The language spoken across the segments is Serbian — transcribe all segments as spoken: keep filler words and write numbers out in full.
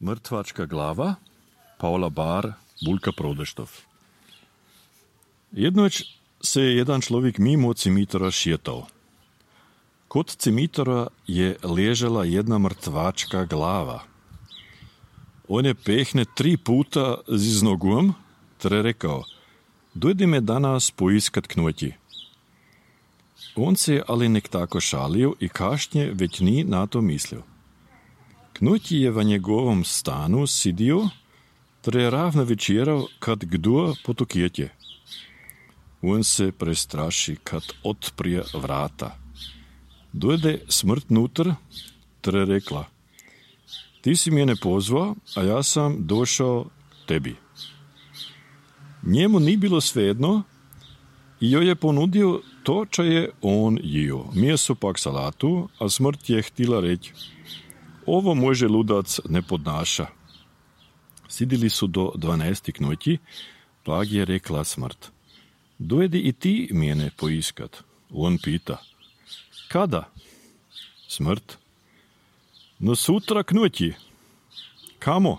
Mrtvačka glava, Paula Bar, Bulka Prodeštov. Jednoć se je jedan človek mimo cimitora šetao. Kod cimitora je ležala jedna mrtvačka glava. On je pehne tri puta z nogom, ter rekao, dojdi me danas poiskat knoti. On se je ali nek tako šalio i kašnje već ni na to mislio. Knoti je v njegovom stanu sidio, ter je ravno večeral, kad kdo potokjetje. On se prestraši, kad otprije vrata. Dojde smrt nutr, ter je rekla, ti si mene pozvao, a ja sam došao tebi. Njemu ni bilo svejedno i joj je ponudio to, čo je on jio. Mjeso pak salatu, a smrt je htila reći, ovo može ludac ne podnaša. Sidili su do dvanaesti knoti, plag je rekla smrt, dojedi i ti mene poiskat. On pita, kada? Smrt, no sutra knoti. Kamo?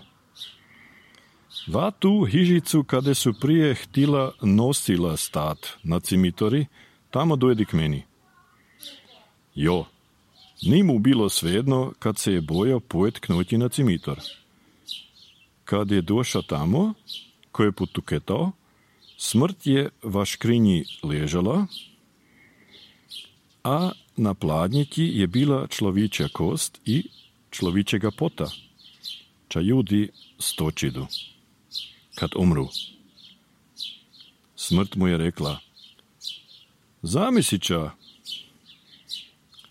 Va tu hižicu kade su prije htila nosila stat na cimitori, tamo dojedi k meni. Jo, ni mu bilo svejedno kad se je bojao pojet knoti na cimitor. Kad je došao tamo, ko je potuketao, smrt je v škrinji ležala, a na pladnjeti je bila človičja kost i človičjega pota, ča ljudi stočidu, kad umru. Smrt mu je rekla, zamisliča,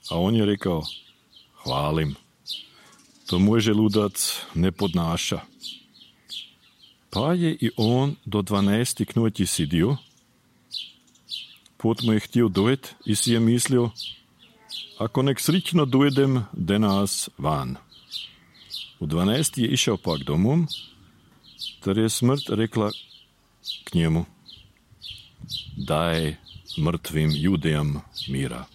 a on je rekao, hvalim, to može ludac ne podnaša. Pa je i on do dvanaesti knoti sidio, pot mu je htio dojet i si je mislio, ako nek srično dojedem denas van. U dvanaesti je išao pak domom, ter je smrt rekla k njemu, daj mrtvim judejam mira.